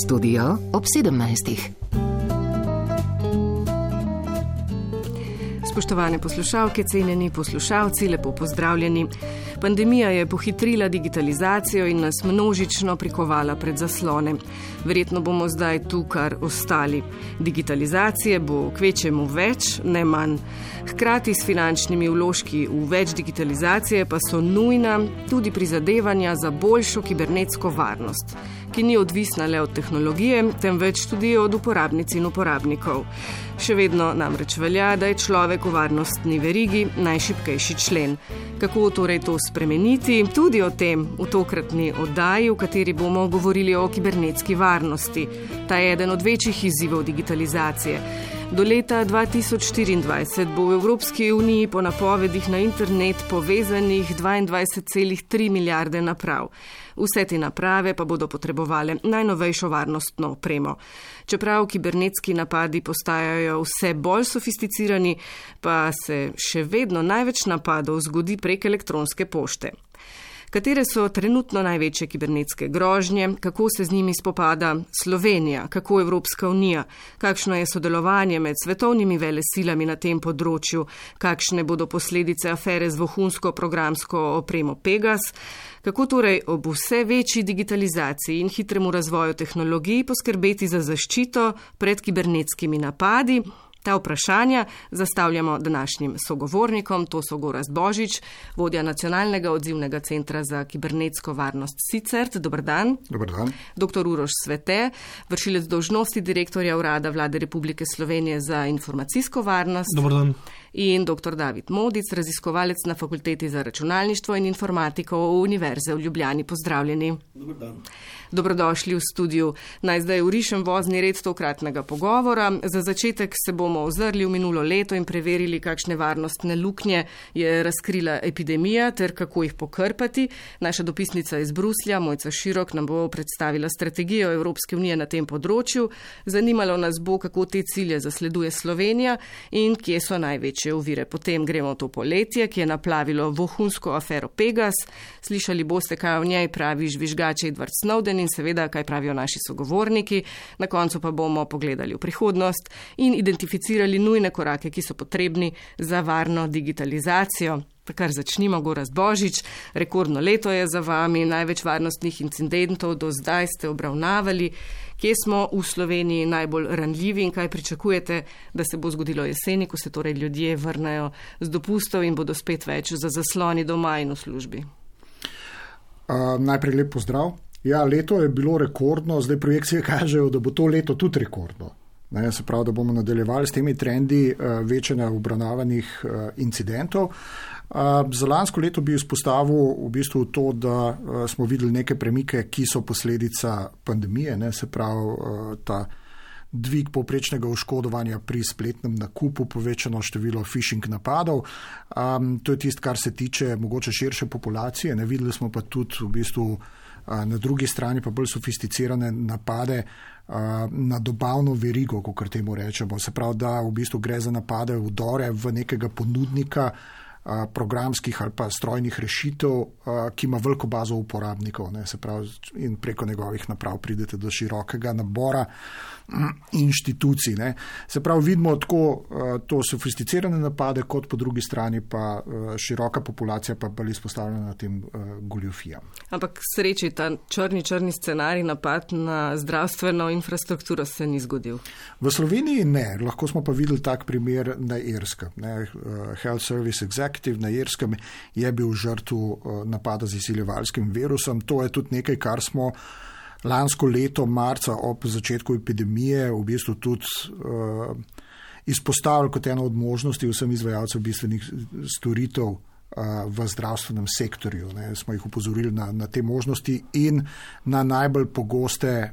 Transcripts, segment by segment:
Studio ob 17. Spoštovane poslušalke, cenjeni poslušalci, lepo pozdravljeni. Pandemija je pohitrila digitalizacijo in nas množično prikovala pred zaslone. Verjetno bomo zdaj tu kar ostali. Digitalizacije bo kvečjemu več, ne manj. Hkrati s finančnimi vložki v več digitalizacije pa so nujna tudi prizadevanja za boljšo kibernetsko varnost, ki ni odvisna le od tehnologije, temveč tudi od uporabnic in uporabnikov. Še vedno namreč velja, da je človek v varnostni verigi najšibkejši člen. Kako torej to spremeniti? Tudi o tem v tokratni oddaji, v kateri bomo govorili o kibernetski varnosti. Ta je eden od večjih izzivov digitalizacije. Do leta 2024 bo v Evropski uniji po napovedih na internet povezanih 22,3 milijarde naprav. Vse te naprave pa bodo potrebovale najnovejšo varnostno opremo. Čeprav kibernetski napadi postajajo vse bolj sofisticirani, pa se še vedno največ napadov zgodi prek elektronske pošte. Katere so trenutno največje kibernetske grožnje, kako se z njimi spopada Slovenija, kako Evropska unija, kakšno je sodelovanje med svetovnimi velesilami na tem področju, kakšne bodo posledice afere z vohunsko programsko opremo Pegas, kako torej ob vse večji digitalizaciji in hitremu razvoju tehnologij poskrbeti za zaščito pred kibernetskimi napadi. Ta vprašanja zastavljamo današnjim sogovornikom, to so Gorazd Božič, vodja Nacionalnega odzivnega centra za kibernetsko varnost SICERT. Dober dan. Dober dan. Dr. Uroš Svete, vršilec dolžnosti direktorja Urada Vlade Republike Slovenije za informacijsko varnost. Dober dan. In dr. David Modic, raziskovalec na Fakulteti za računalništvo in informatiko Univerze v Ljubljani. Pozdravljeni. Dober dan. Dobrodošli v studiu. Naj zdaj urišem vozni red tokratnega pogovora. Za začetek se bomo ozrli v minulo leto in preverili, kakšne varnostne luknje je razkrila epidemija ter kako jih pokrpati. Naša dopisnica iz Bruslja, Mojca Širok, nam bo predstavila strategijo Evropske unije na tem področju. Zanimalo nas bo, kako te cilje zasleduje Slovenija in kje so največje ovire. Potem gremo v to poletje, ki je naplavilo vohunsko afero Pegas. Slišali boste, kaj o njej pravi žvižgač Edward Snowden in seveda, kaj pravijo naši sogovorniki. Na koncu pa bomo pogledali v prihodnost in identificirali nujne korake, ki so potrebni za varno digitalizacijo. Kar začnimo, Gorazd Božič. Rekordno leto je za vami, največ varnostnih incidentov do zdaj ste obravnavali. Kje smo v Sloveniji najbolj ranljivi in kaj pričakujete, da se bo zgodilo jeseni, ko se torej ljudje vrnejo z dopustov in bodo spet več za zasloni doma in v službi? Najprej lep pozdrav. Ja, leto je bilo rekordno, zdaj projekcije kažejo, da bo to leto tudi rekordno. Se pravi, da bomo nadaljevali s temi trendi večanja obravnavanih incidentov. Za lansko leto bi izpostavil v bistvu to, da smo videli neke premike, ki so posledica pandemije, se pravi ta dvig povprečnega oškodovanja pri spletnem nakupu, povečano število phishing napadov. To je tisto, kar se tiče mogoče širše populacije. Videli smo pa tudi v bistvu na drugi strani pa bolj sofisticirane napade na dobavno verigo, kakor temu rečemo. Se pravi, da v bistvu gre za napade, vdore v nekega ponudnika programskih ali pa strojnih rešitev, ki ima veliko bazo uporabnikov, se pravi, in preko njegovih naprav pridete do širokega nabora inštitucij. Se pravi, vidimo tako to sofisticirane napade, kot po drugi strani pa široka populacija pa bolj izpostavljena na tem goljufijam. Ampak sreči, ta črni scenarij napad na zdravstveno infrastrukturo se ni zgodil. V Sloveniji ne, lahko smo pa videli tak primer na Irskem. Health Service Executive na Irskem je bil žrtev napada z izsiljevalskim virusom. To je tudi nekaj, kar smo lansko leto marca ob začetku epidemije v bistvu tudi izpostavili kot eno od možnosti vsem izvajalcev bistvenih storitev v zdravstvenem sektorju. Smo jih upozorili na te možnosti in na najbolj pogoste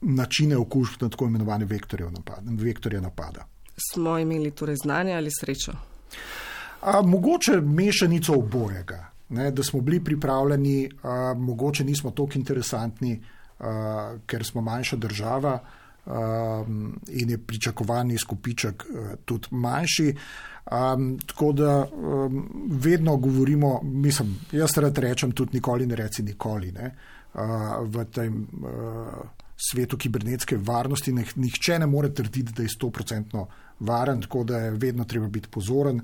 načine okužb na tako imenovane vektorje napada. Smo imeli torej znanje ali srečo? Mogoče mešanico obojega. Da smo bili pripravljeni, mogoče nismo toliko interesantni, ker smo manjša država in je pričakovani izkupiček tudi manjši. Tako da vedno govorimo, jaz rad rečem tudi nikoli ne reci nikoli, v tem svetu kibernetske varnosti nihče ne more trditi, da je 100% varen, tako da je vedno treba biti pozoren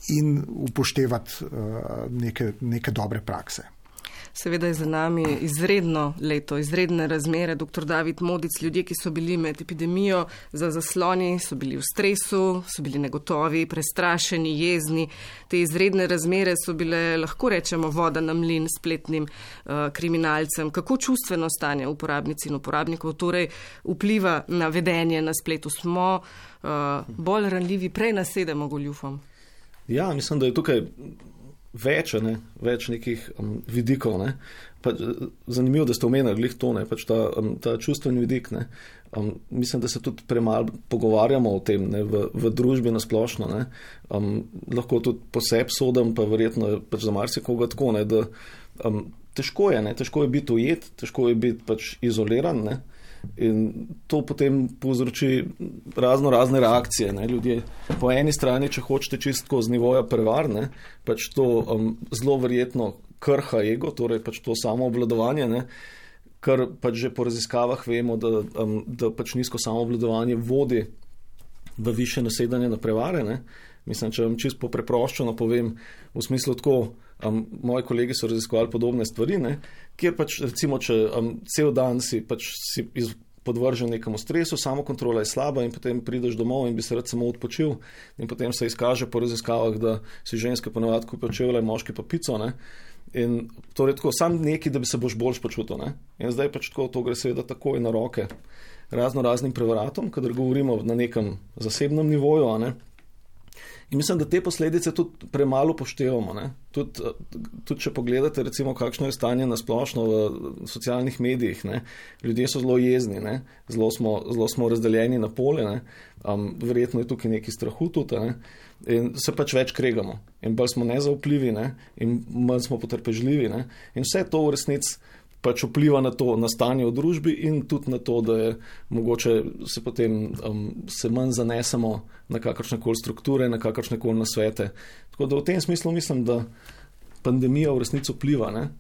in upoštevati neke dobre prakse. Seveda je za nami izredno leto, izredne razmere. Dr. David Modic, ljudje, ki so bili med epidemijo za zasloni, so bili v stresu, so bili negotovi, prestrašeni, jezni. Te izredne razmere so bile, lahko rečemo, voda na mlin spletnim kriminalcem. Kako čustveno stanje uporabnic in uporabnikov torej vpliva na vedenje na spletu? Smo bolj ranljivi, prej nasedemo goljufom? Ja, mislim, da je tukaj več nekih vidikov. Ne. Zanimivo, da ste omenili glih to, pač ta čustveni vidik. Ne. Mislim, da se tudi premalo pogovarjamo o tem v družbi nasplošno. Lahko tudi poseb sodim, pa verjetno pač za marsikoga tako, da težko je biti ujet, težko je biti pač izoliran. Ne. In to potem povzroči razne reakcije. Ne. Ljudje po eni strani, če hočete čistko z nivoja prevar, ne, pač to zelo verjetno krha ego, torej pač to samoobvladovanje, ne, kar pač že po raziskavah vemo, da pač nizko samoobvladovanje vodi v više nasedanje na prevare. Ne. Mislim, če vam čisto preproščeno povem, v smislu tako, moji kolegi so raziskovali podobne stvari, ne, kjer pač recimo, če cel dan si podvržen nekemu stresu, samokontrola je slaba in potem prideš domov in bi se rad samo odpočil in potem se izkaže po raziskavah, da si ženske ponavadi kupijo čevlje, moški pa pico, ne. In torej tako, sam neki, da bi se boš boljš počutil, ne. In zdaj pač tako, to gre seveda takoj na roke raznim prevaratom, kadar govorimo na nekem zasebnem nivoju, a ne. In mislim, da te posledice tudi premalo poštevamo. Tudi če pogledate, recimo, kakšno je stanje nasplošno v socialnih medijih. Ne? Ljudje so zelo jezni, ne? Zelo smo razdeljeni na pole, ne? Verjetno je tukaj neki strahu tudi, ne? In se pač več kregamo. In bolj smo nezaupljivi, ne? In manj smo potrpežljivi. Ne? In vse to v resnici pač vpliva na to, na stanje v družbi in tudi na to, da je mogoče se potem se manj zanesemo na kakršnekoli strukture, na kakršnekoli nasvete. Tako da v tem smislu mislim, da pandemija v resnici vpliva. Ne?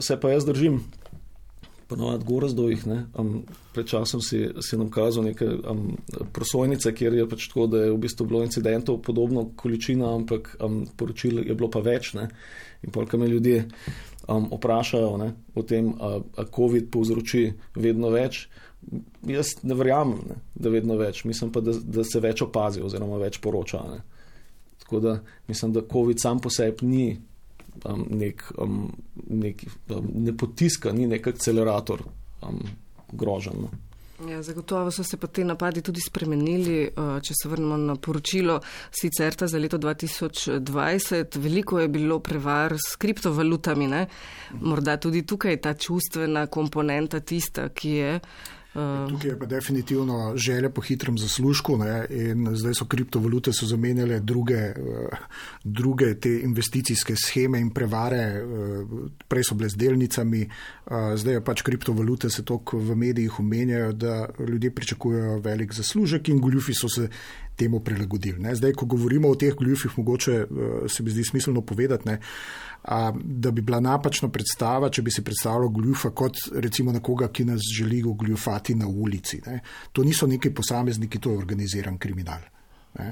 Se pa jaz držim ponovadi Gorazdovih, ne? Pred časom si nam kazal neke prosojnice, kjer je pač tako, da je v bistvu bilo incidentov podobno količina, ampak poročil je bilo pa več. Ne? In polka me ljudje vprašajo, ne, o tem, a COVID povzroči vedno več. Jaz ne verjamem, ne, da vedno več. Mislim pa, da se več opazi oziroma več poroča. Ne. Tako da mislim, da COVID sam po sebi ni ne potiska, ni nek akcelerator groženj. No. Ja, zagotovo so se pa te napadi tudi spremenili, če se vrnemo na poročilo Sicerta za leto 2020. Veliko je bilo prevar s kriptovalutami, ne? Morda tudi tukaj ta čustvena komponenta tista, ki je. Tukaj je pa definitivno želja po hitrem zaslužku, ne? In zdaj so kriptovalute zamenjale druge te investicijske sheme in prevare, prej so bile z delnicami, zdaj je pač kriptovalute se toliko v medijih omenjajo, da ljudje pričakujejo velik zaslužek in goljufi so se temu prilagodili. Ne? Zdaj, ko govorimo o teh goljufih, mogoče se mi zdi smiselno povedati, ne? Da bi bila napačna predstava, če bi si predstavljal goljufa kot recimo nekoga, ki nas želi goljufati na ulici. Ne? To niso neki posamezniki, to je organiziran kriminal. Ne?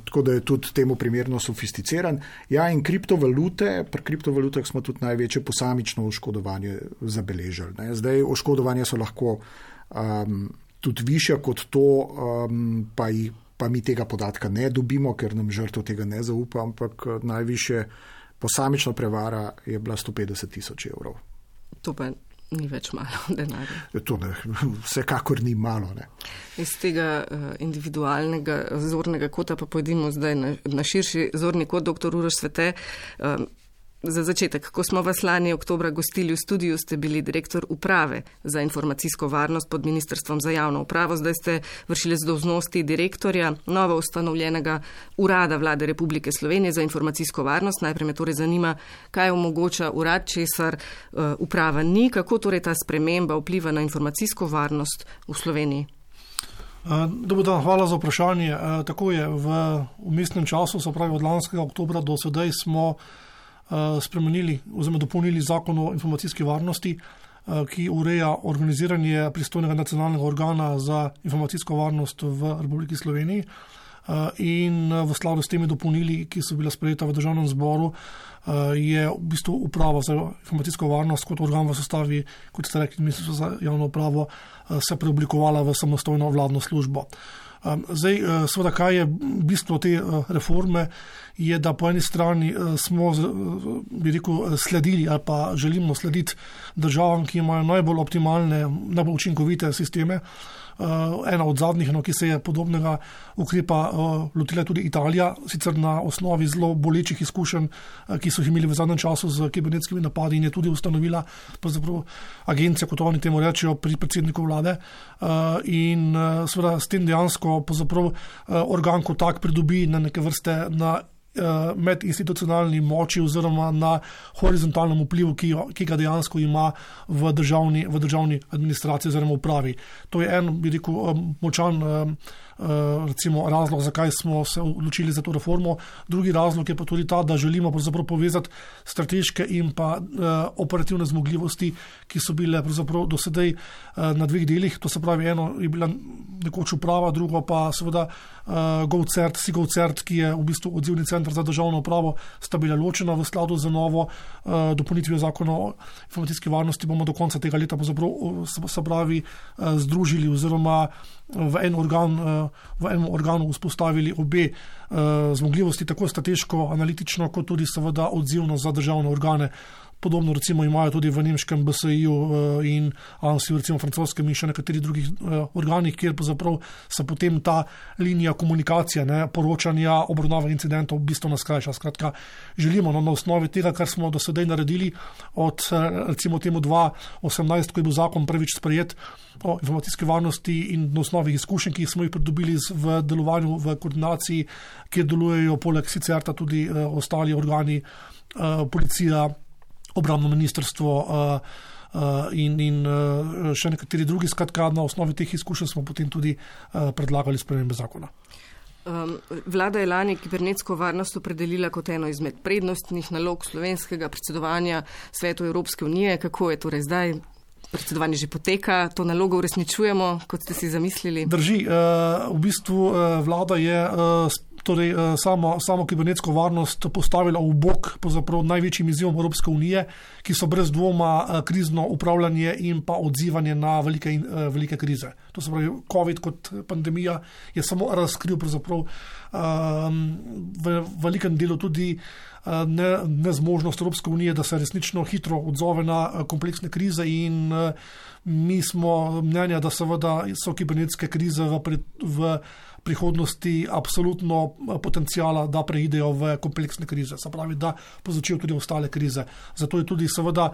Tako da je tudi temu primerno sofisticiran. Ja, in kriptovalute, pri kriptovalutah smo tudi največje posamično oškodovanje zabeležili. Ne? Zdaj, oškodovanja so lahko tudi višja kot to, pa mi tega podatka ne dobimo, ker nam žrtev tega ne zaupa, ampak najvišje posamična prevara je bila 150,000 evrov. To pa ni več malo denarja. To ne, vsekakor ni malo. Ne. Iz tega individualnega zornega kota pa pojdimo zdaj na širši zorni kot dr. Uroš Svete. Za začetek, ko smo vas lani oktobra gostili v studiu, ste bili direktor uprave za informacijsko varnost pod Ministrstvom za javno upravo, zdaj ste vršilec dolžnosti direktorja novo ustanovljenega urada Vlade Republike Slovenije za informacijsko varnost. Najprej me torej zanima, kaj omogoča urad, česar uprava ni, kako torej ta sprememba vpliva na informacijsko varnost v Sloveniji. Dobar dan, hvala za vprašanje. Tako je, v vmesnem času, se pravi od lanskega oktobra do sedaj smo spremenili oziroma dopolnili zakon o informacijski varnosti. ki ureja organiziranje pristojnega nacionalnega organa za informacijsko varnost v Republiki Sloveniji. In v skladu s temi dopolnili, ki so bila sprejeta v Državnem zboru, je v bistvu uprava za informacijsko varnost kot organ v sestavi, kot ste rekli, Ministrstvo za javno upravo, se preoblikovala v samostojno vladno službo. Zdaj, seveda, kaj je bistvo te reforme, je, da po eni strani smo, bi rekel, sledili ali pa želimo slediti državam, ki imajo najbolj optimalne, najbolj učinkovite sisteme. Ena od zadnjih, ki se je podobnega ukrepa lotila tudi Italija, sicer na osnovi zelo bolečih izkušenj, ki so jih imeli v zadnjem času z kibernetskimi napadi, in je tudi ustanovila agencija, kot oni temu rečejo, pri predsedniku vlade. In seveda s tem dejansko organ kot tak pridobi na neke vrste na medinstitucionalni moči oziroma na horizontalnem vplivu, ki ga dejansko ima v državni administraciji oziroma upravi. To je en, bi rekel, močan recimo razlog, zakaj smo se odločili za to reformo. Drugi razlog je pa tudi ta, da želimo povezati strateške in pa operativne zmogljivosti, ki so bile do sedaj na dveh delih. To se pravi, eno je bila nekoč uprava, drugo pa seveda GovCert, SIGovCert, ki je v bistvu odzivni center za državno upravo, sta bila ločena v skladu z novo dopolnitvijo zakona o informacijski varnosti. Bomo do konca tega leta se pravi združili oziroma v enem organu vzpostavili obe zmogljivosti, tako strateško, analitično, kot tudi seveda odzivno za državne organe. Podobno recimo imajo tudi v nemškem BSI-ju in ANSI-ju, recimo francoskem in še nekaterih drugih organih, kjer se potem ta linija komunikacije, poročanja, obravnave incidentov v bistvu skrajša. Skratka, želimo na osnovi tega, kar smo do sedaj naredili od recimo temu 2018, ko je bil zakon prvič sprejet o informacijski varnosti, in na osnovi izkušenj, ki smo jih pridobili v delovanju, v koordinaciji, kjer delujejo poleg SICERTA tudi ostali organi, policija, obrambno ministrstvo in še nekateri drugi. Skratka, na osnovi teh izkušenj smo potem tudi predlagali spremembe zakona. Vlada je lani kibernetsko varnost opredelila kot eno izmed prednostnih nalog slovenskega predsedovanja Svetu Evropske unije. Kako je torej zdaj? Predsedovanje že poteka, to nalogo uresničujemo, kot ste si zamislili? Drži. V bistvu vlada je samo kibernetsko varnost postavila v bok največjim izzivom Evropske unije, ki so brez dvoma krizno upravljanje in pa odzivanje na velike krize. To se pravi, COVID kot pandemija je samo razkril v velikem delu tudi nezmožnost Evropske unije, da se resnično hitro odzove na kompleksne krize, in mi smo mnenja, da seveda so kibernetske krize v prihodnosti absolutno potencijala, da preidejo v kompleksne krize, se pravi, da povzročijo tudi ostale krize. Zato je tudi seveda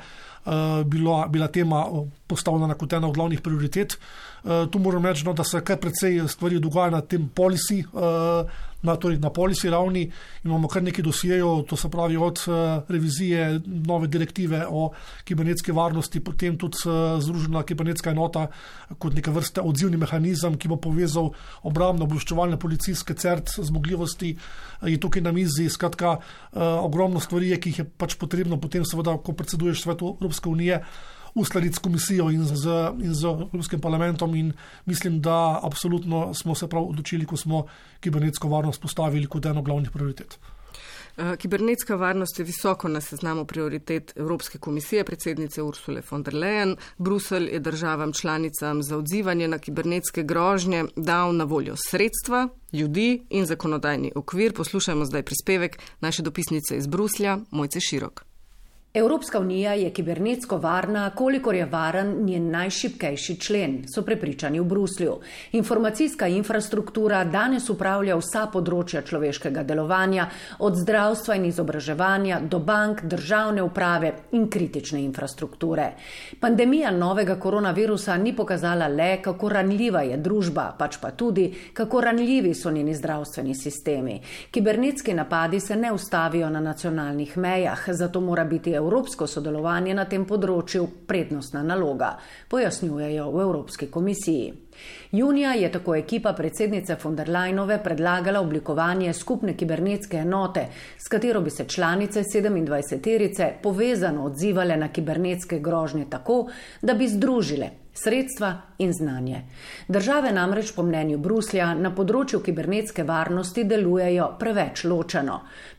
bila tema postavljena kot ena od glavnih prioritet. Tu moram reči, da se kar precej stvari dogaja na tem policy, na policy ravni. Imamo kar nekaj dosjejev, to se pravi od revizije nove direktive o kibernetski varnosti, potem tudi združena kibernetska enota kot neka vrsta odzivni mehanizem, ki bo povezal obrambno obveščevalne policijske CERT zmogljivosti, je tukaj na mizi. Skratka, ogromno stvari, ki jih je potrebno potem seveda, ko predseduješ Svetu Evropske unije, uskladiti s komisijo in z Evropskim parlamentom, in mislim, da absolutno smo se prav odločili, ko smo kibernetsko varnost postavili kot eno glavnih prioritet. Kibernetska varnost je visoko na seznamu prioritet Evropske komisije, predsednice Ursule von der Leyen. Bruselj je državam članicam za odzivanje na kibernetske grožnje dal na voljo sredstva, ljudi in zakonodajni okvir. Poslušajmo zdaj prispevek naše dopisnice iz Bruslja, Mojce Širok. Evropska unija je kibernetsko varna, kolikor je varen njen najšibkejši člen, so prepričani v Bruslju. Informacijska infrastruktura danes upravlja vsa področja človeškega delovanja, od zdravstva in izobraževanja do bank, državne uprave in kritične infrastrukture. Pandemija novega koronavirusa ni pokazala le, kako ranljiva je družba, pač pa tudi, kako ranljivi so njeni zdravstveni sistemi. Kibernetski napadi se ne ustavijo na nacionalnih mejah, zato mora biti evropsko sodelovanje na tem področju prednostna naloga, pojasnjujejo v Evropski komisiji. Junija je tako ekipa predsednice von der Leyenove predlagala oblikovanje skupne kibernetske enote, s katero bi se članice 27-terice povezano odzivale na kibernetske grožnje tako, da bi združile sredstva in znanje. Države namreč po mnenju Bruslja na področju kibernetske varnosti delujejo preveč ločeno.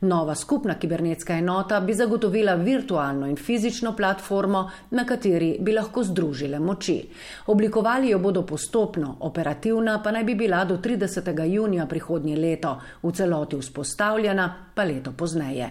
Nova skupna kibernetska enota bi zagotovila virtualno in fizično platformo, na kateri bi lahko združile moči. Oblikovali jo bodo postopno, operativna pa naj bi bila do 30. junija prihodnje leto, v celoti vzpostavljena pa leto pozneje.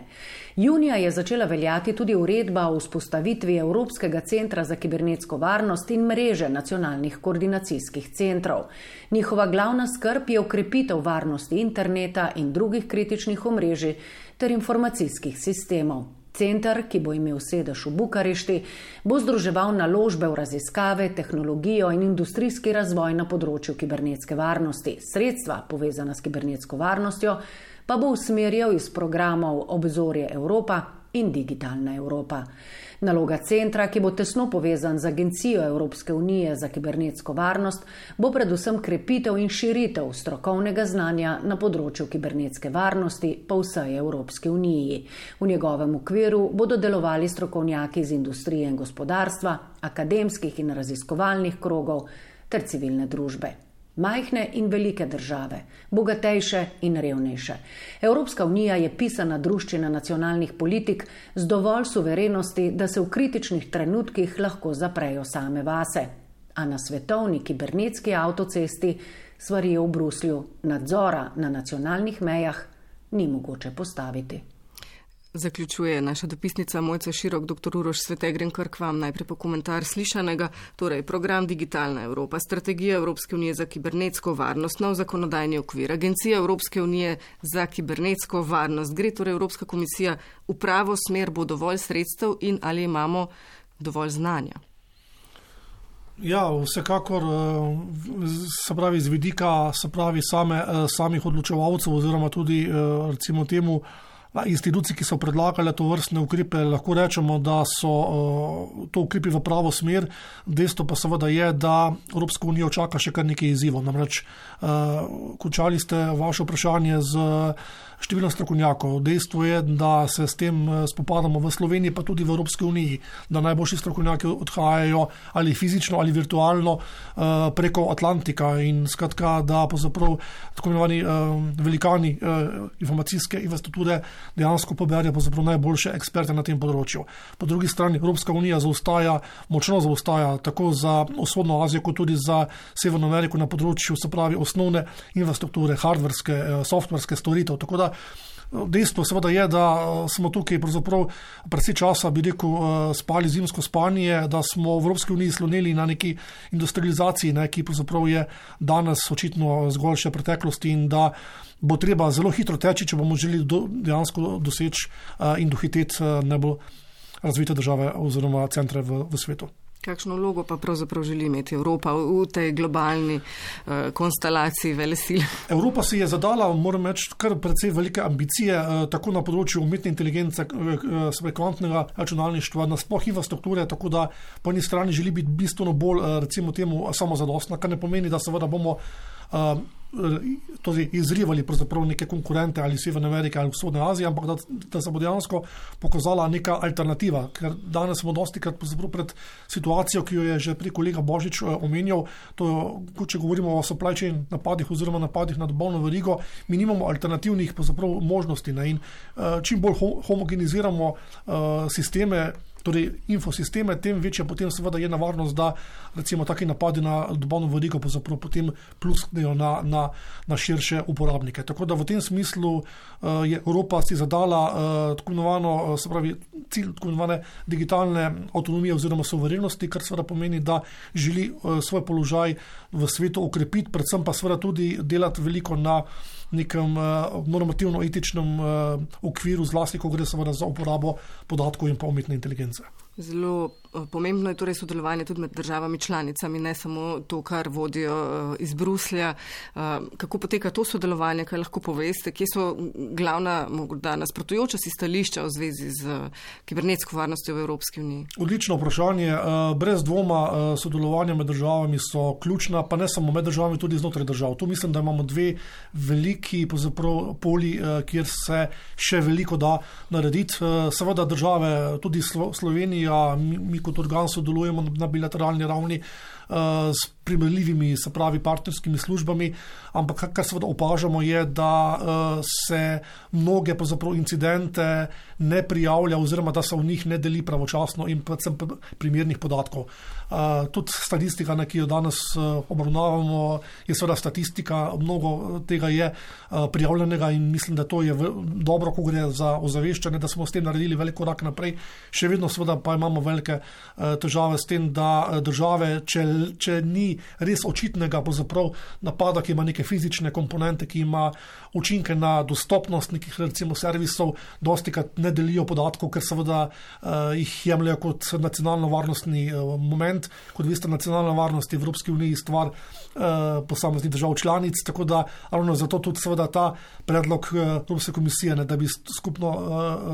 Junija je začela veljati tudi uredba o vzpostavitvi Evropskega centra za kibernetsko varnost in mreže nacionalnih koordinacijskih centrov. Njihova glavna skrb je okrepitev varnosti interneta in drugih kritičnih omrežij ter informacijskih sistemov. Center, ki bo imel sedež v Bukarešti, bo združeval naložbe v raziskave, tehnologijo in industrijski razvoj na področju kibernetske varnosti. Sredstva, povezana s kibernetsko varnostjo, pa bo usmerjal iz programov Obzorje Evropa in Digitalna Evropa. Naloga centra, ki bo tesno povezan z Agencijo Evropske unije za kibernetsko varnost, bo predvsem krepitev in širitev strokovnega znanja na področju kibernetske varnosti po vsej Evropski uniji. V njegovem okviru bodo delovali strokovnjaki iz industrije in gospodarstva, akademskih in raziskovalnih krogov ter civilne družbe. Majhne in velike države, bogatejše in revnejše. Evropska unija je pisana druščina nacionalnih politik z dovolj suverenosti, da se v kritičnih trenutkih lahko zaprejo same vase. A na svetovni kibernetski avtocesti, svarijo v Bruslju, nadzora na nacionalnih mejah ni mogoče postaviti. Zaključuje naša dopisnica Mojca Širok. Dr. Uroš Svetegrenkar, k vam najprej po komentar slišanega. Torej, program Digitalna Evropa, strategija Evropske unije za kibernetsko varnost, nov zakonodajni okvir, Agencija Evropske unije za kibernetsko varnost. Gre torej Evropska komisija v pravo smer, bo dovolj sredstev in ali imamo dovolj znanja? Ja, vsekakor, se pravi z vidika, samih odločevalcev oziroma tudi, recimo temu, institucij, ki so predlagale to vrstne ukrepe, lahko rečemo, da so to ukrepi v pravo smer. Dejstvo pa seveda je, da Evropska unija čaka še kar nekaj izzivov. Namreč končali ste vaše vprašanje z številom strokovnjakov. Dejstvo je, da se s tem spopadamo v Sloveniji, pa tudi v Evropski uniji, da najboljši strokovnjaki odhajajo ali fizično ali virtualno preko Atlantika in skratka, da pravzaprav tako imenovani velikani informacijske infrastrukture dejansko poberajo najboljše eksperte na tem področju. Po drugi strani Evropska unija močno zaostaja tako za vzhodno Azijo, kot tudi za Severno Ameriko na področju, se pravi, osnovne infrastrukture, hardverske, softverske storitev. Tako da dejstvo seveda je, da smo tukaj pravzaprav precej časa, bi rekel, spali zimsko spanje, da smo v Evropski uniji sloneli na neki industrializaciji, ki pravzaprav je danes očitno zgolj še preteklosti in da bo treba zelo hitro teči, če bomo želeli dejansko doseči in dohiteti najbolj razvite države oziroma centre v svetu. Kakšno vlogo pa pravzaprav želi imeti Evropa v tej globalni konstelaciji velesil? Evropa si je zadala, moram reči, kar precej velike ambicije, tako na področju umetne inteligence, kvantnega računalništva, nasploh infrastrukture, tako da po eni strani želi biti bistveno bolj, recimo temu, samozadostna, kar ne pomeni, da seveda bomo izrivali pravzaprav neke konkurente ali Severne Amerike ali Vzhodne Azije, ampak da se bo dejansko pokazala neka alternativa, ker danes smo dostikrat pred situacijo, ki jo je že prej kolega Božič omenjal, to, če govorimo o supply chain napadih oziroma napadih na dobavno verigo, mi nimamo alternativnih možnosti, in čim bolj homogeniziramo sisteme, torej infosisteme, tem večja potem seveda je nevarnost, da recimo taki napadi na dobavno verigo potem plusknejo na širše uporabnike. Tako da v tem smislu je Evropa si zadala tako imenovano, se pravi, cilj tako imenovane digitalne avtonomije oziroma suverenosti, kar seveda pomeni, da želi svoj položaj v svetu okrepiti, predvsem pa seveda tudi delati veliko na nekem normativno-etičnem okviru, zlasti, ko gre seveda za uporabo podatkov in pa umetne inteligence. Zelo pomembno je torej sodelovanje tudi med državami članicami, ne samo to, kar vodijo iz Bruslja. Kako poteka to sodelovanje, kaj lahko poveste, kje so glavna morda nasprotujoča si stališča v zvezi z kibernetsko varnostjo v Evropski uniji? Odlično vprašanje. Brez dvoma sodelovanja med državami so ključna, pa ne samo med državami, tudi znotraj držav. Tu mislim, da imamo dve veliki poli, kjer se še veliko da narediti. Seveda države, tudi Slovenija, mi kot organ sodelujemo na bilateralni ravni s primerljivimi, se pravi, partnerskimi službami, ampak kar seveda opažamo je, da se mnoge incidente ne prijavlja oziroma da se v njih ne deli pravočasno in predvsem primernih podatkov. Tudi statistika, ki jo danes obravnavamo, je seveda statistika, mnogo tega je prijavljenega in mislim, da to je dobro, ko gre za ozaveščanje, da smo s tem naredili velik korak naprej. Še vedno seveda pa imamo velike težave s tem, da države, če ni res očitnega napada, ki ima neke fizične komponente, ki ima učinke na dostopnost nekih recimo servisov, dostikrat ne delijo podatkov, ker seveda jih jemljajo kot nacionalno varnostni moment. Kot veste, nacionalna varnost je v Evropski uniji stvar posameznih držav članic, tako da ravno zato tudi seveda ta predlog Evropske komisije, da bi skupno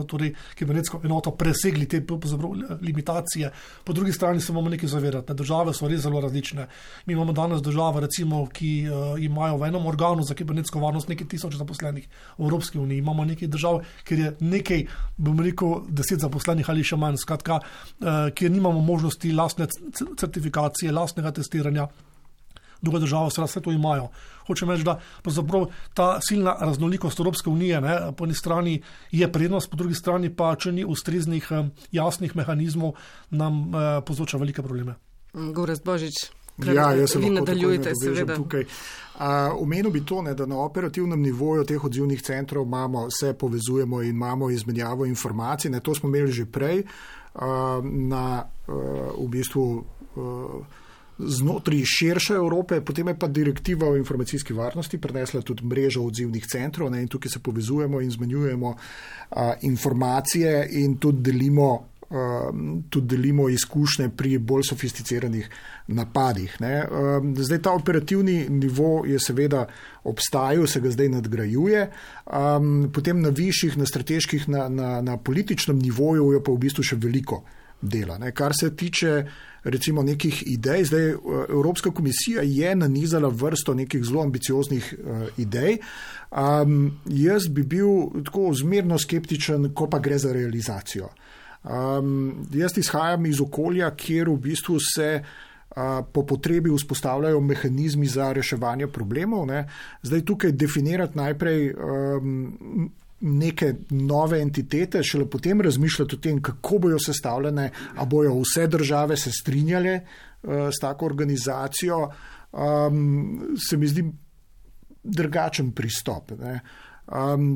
torej kibernetsko enoto presegli te limitacije. Po drugi strani se moramo nekaj zavedati, države so res zelo različne. Mi imamo danes države, recimo, ki imajo v enem organu za kibernetsko varnost nekaj tisoč zaposlenih. V Evropski uniji imamo nekaj držav, kjer je nekaj, bom rekel, 10 zaposlenih ali še manj, skratka, kjer nimamo možnosti lastne certifikacije, lastnega testiranja. Druga država vse to imajo. Hočem reči, da ta silna raznolikost Evropske unije, po eni strani je prednost, po drugi strani pa, če ni ustreznih jasnih mehanizmov, nam povzroča velike probleme. Gorazd Božič, vi nadaljujete seveda. Omenil bi to, da na operativnem nivoju teh odzivnih centrov se povezujemo in imamo izmenjavo informacij. To smo imeli že prej na v bistvu znotraj širše Evrope, potem je pa direktiva o informacijski varnosti prenesla tudi mrežo odzivnih centrov, in tukaj se povezujemo in izmenjujemo informacije in tudi delimo izkušnje pri bolj sofisticiranih napadih. Zdaj ta operativni nivo je seveda obstajal, se ga zdaj nadgrajuje, potem na višjih, na strateških, na političnem nivoju je pa v bistvu še veliko dela. Kar se tiče recimo nekih idej, zdaj Evropska komisija je nanizala vrsto nekih zelo ambicioznih idej. Jaz bi bil tako zmerno skeptičen, ko pa gre za realizacijo. Jaz izhajam iz okolja, kjer v bistvu se po potrebi vzpostavljajo mehanizmi za reševanje problemov. Zdaj tukaj definirati najprej neke nove entitete, šele potem razmišljati o tem, kako bojo sestavljene, a bojo vse države se strinjale s tako organizacijo, se mi zdi drugačen pristop.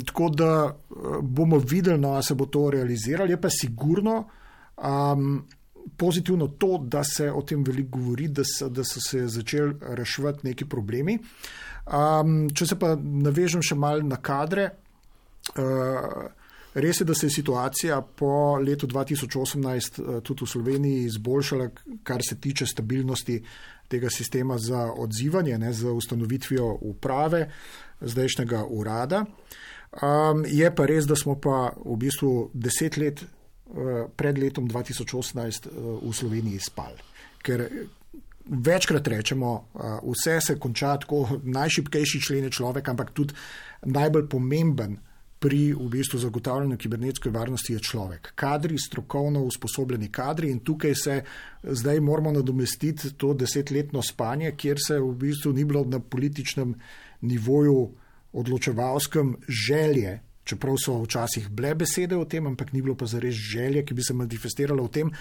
Tako da bomo videli, a se bo to realiziralo. Je pa sigurno pozitivno to, da se o tem veliko govori, da so se začeli reševati neki problemi. Če se pa navežem še malo na kadre, res je, da se je situacija po letu 2018 tudi v Sloveniji izboljšala, kar se tiče stabilnosti tega sistema za odzivanje, z ustanovitvijo uprave zdajšnjega urada. Je pa res, da smo pa v bistvu 10 let pred letom 2018 v Sloveniji spali. Ker večkrat rečemo, vse se konča tako, najšibkejši člen je človek, ampak tudi najbolj pomemben pri v bistvu zagotavljanju kibernetske varnosti je človek. Kadri, strokovno usposobljeni kadri, in tukaj se zdaj moramo nadomestiti to 10-letno spanje, kjer se v bistvu ni bilo na političnem nivoju odločevalskem želje, čeprav so včasih bile besede o tem, ampak ni bilo pa zares želje, ki bi se manifestirala v tem,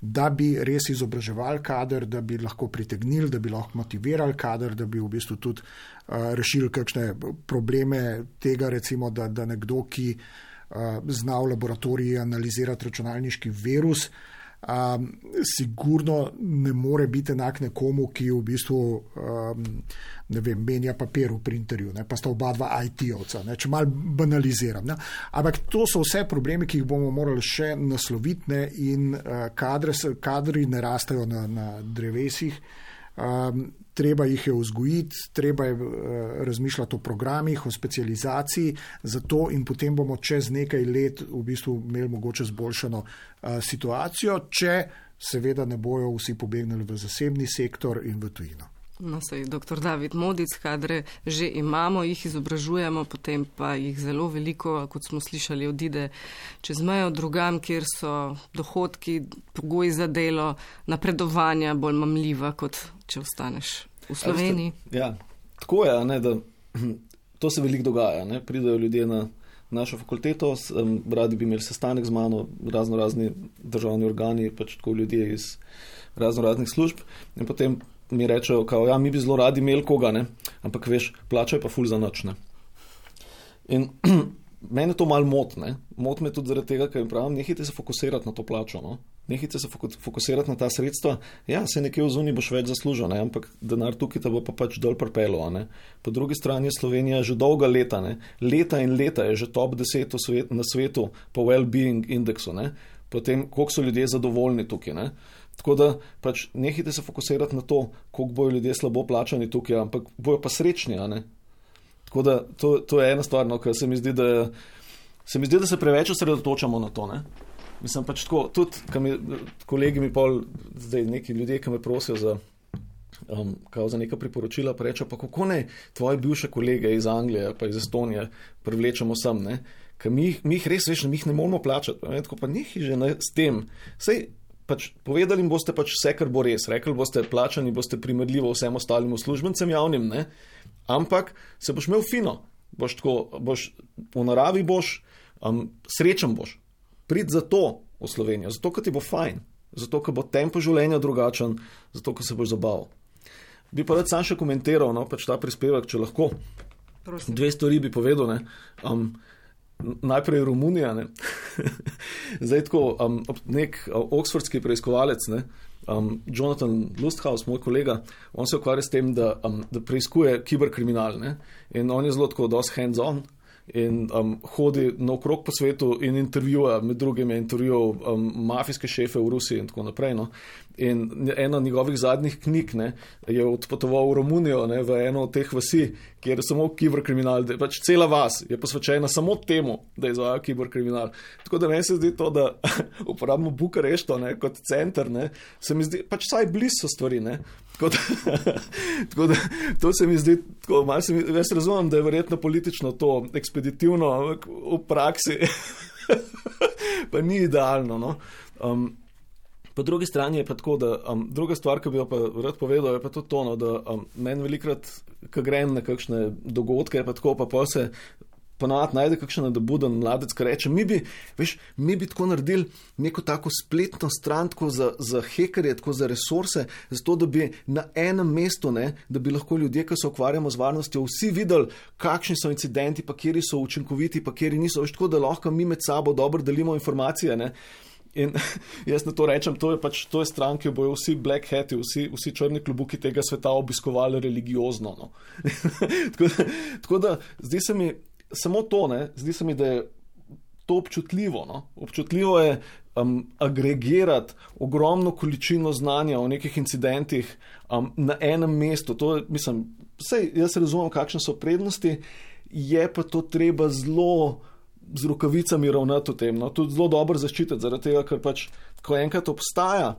da bi res izobraževali kader, da bi lahko pritegnili, da bi lahko motivirali kader, da bi v bistvu tudi rešili kakšne probleme tega, recimo, da nekdo, ki zna v laboratoriji analizirati računalniški virus, sigurno ne more biti enak nekomu, ki v bistvu menja papir v printerju, pa sta oba dva IT-ovca, če malo banaliziram. Ne. Ampak to so vse problemi, ki jih bomo morali še nasloviti, in kadri ne rastejo na drevesih. Treba jih je vzgojiti, treba je razmišljati o programih, o specializaciji, zato in potem bomo čez nekaj let v bistvu imeli mogoče zboljšano situacijo, če seveda ne bojo vsi pobegnili v zasebni sektor in v tujino. No, sej, dr. David Modic, kadre že imamo, jih izobražujemo, potem pa jih zelo veliko, kot smo slišali, odide čez mejo drugam, kjer so dohodki, pogoji za delo, napredovanja bolj mamljiva, kot če ostaneš v Sloveniji. Ja, tako je, da to se veliko dogaja. Pridejo ljudje na našo fakulteto, radi bi imeli sestanek z mano, razni državni organi, pač tako ljudje iz raznih služb, in potem mi rečejo, mi bi zelo radi imeli koga, ampak veš, plačajo pa ful za noč. In mene to malo moti. Moti me tudi zaradi tega, ker jim pravim, nehajte se fokusirati na to plačo. Nehajte se fokusirati na ta sredstva. Ja, se nekje v zuniji boš več zaslužil, ampak denar tukaj te bo pa pač dol pripelo. Po drugi strani je Slovenija že dolga leta, leta in leta je že top 10 na svetu po well-being indeksu. Potem, koliko so ljudje zadovoljni tukaj. Tako da pač nehajte se fokusirati na to, koliko bojo ljudje slabo plačani tukaj, ampak bojo pa srečni. Tako da to je ena stvar, ker se mi zdi, da se preveč osredotočamo na to. Mislim pač tako, tudi kolegi mi pol, zdaj neki ljudje, ki me prosijo za neka priporočila, pa rečejo, pa kako ne tvoje bivše kolege iz Anglije pa iz Estonije privlečemo sem, ker mi jih res veš, mi jih ne moramo plačati. Tako pa nehaj že s tem. Sej, pač povedali jim boste pač vse, kar bo res. Rekli boste, plačani boste primerljivo vsem ostalim uslužbencem javnim, ampak se boš imel fino. V naravi boš, srečen boš. Prid zato v Slovenijo, zato, ker ti bo fajn, zato, ker bo tempo življenja drugačen, zato, ker se boš zabaval. Bi pa rad sam še komentiral, pač ta prispevek, če lahko. Prosim. 2 stvari bi povedal, najprej Romunija, Zdaj tako, nek oxfordski preiskovalec, Jonathan Lusthaus, moj kolega, on se ukvarja s tem, da preiskuje kiberkriminal, in on je zelo tako dosti hands-on in hodi naokrog po svetu in intervjuja, med drugim je intervjuval mafijske šefe v Rusiji in tako naprej. In ena njegovih zadnjih knjig je odpotoval v Romunijo, v eno od teh vasi, kjer je samo kiberkriminal, pač cela vas je posvečena samo temu, da izvaja kiberkriminal. Tako da meni se zdi to, da uporabimo Bukarešto kot center, se mi zdi, pač saj blizu so stvari, Tako da to se mi zdi, jaz razumem, da je verjetno politično to ekspeditivno, ampak v praksi pa ni idealno, Po drugi strani je pa tako, da druga stvar, ki bi jo pa rad povedal, je pa tudi to, da meni velikrat, ko grem na kakšne dogodke, pa tako, pa se ponavadi najde kakšen nadobuden mladec, ki reče, mi bi tako naredili neko tako spletno stran tako za hekerje, tako za resurse, zato da bi na enem mestu, da bi lahko ljudje, ki se ukvarjamo z varnostjo, vsi videli, kakšni so incidenti, pa kjeri so učinkoviti, pa kjeri niso, tako da lahko mi med sabo dobro delimo informacije, In jaz na to rečem, to je stran, ki bojo vsi black hati, vsi črni klubuki tega sveta obiskovali religiozno. Tako da zdi se mi samo to, zdi se mi, da je to občutljivo. Občutljivo je agregirati ogromno količino znanja o nekih incidentih na enem mestu. To je, jaz razumem, kakšne so prednosti, je pa to treba zelo z rokavicami ravnati v tem, tudi zelo dobro zaščititi, zaradi tega, ker pač, ko enkrat obstaja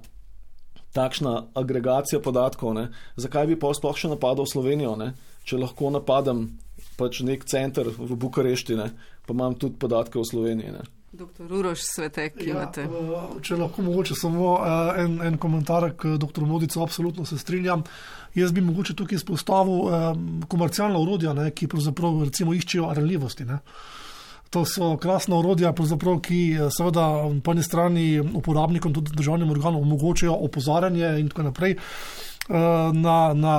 takšna agregacija podatkov, zakaj bi pa sploh še napadal Slovenijo, če lahko napadem pač nek center v Bukarešti, pa imam tudi podatke o Sloveniji. Dr. Uroš Svetek, imate. Če lahko mogoče samo en komentar k dr. Modicu, absolutno se strinjam. Jaz bi mogoče tukaj izpostavil komercialna orodja, ki pravzaprav recimo iščejo ranljivosti, To so krasna orodja, ki seveda po eni strani uporabnikom, tudi državnim organom omogočajo opozarjanje in tako naprej na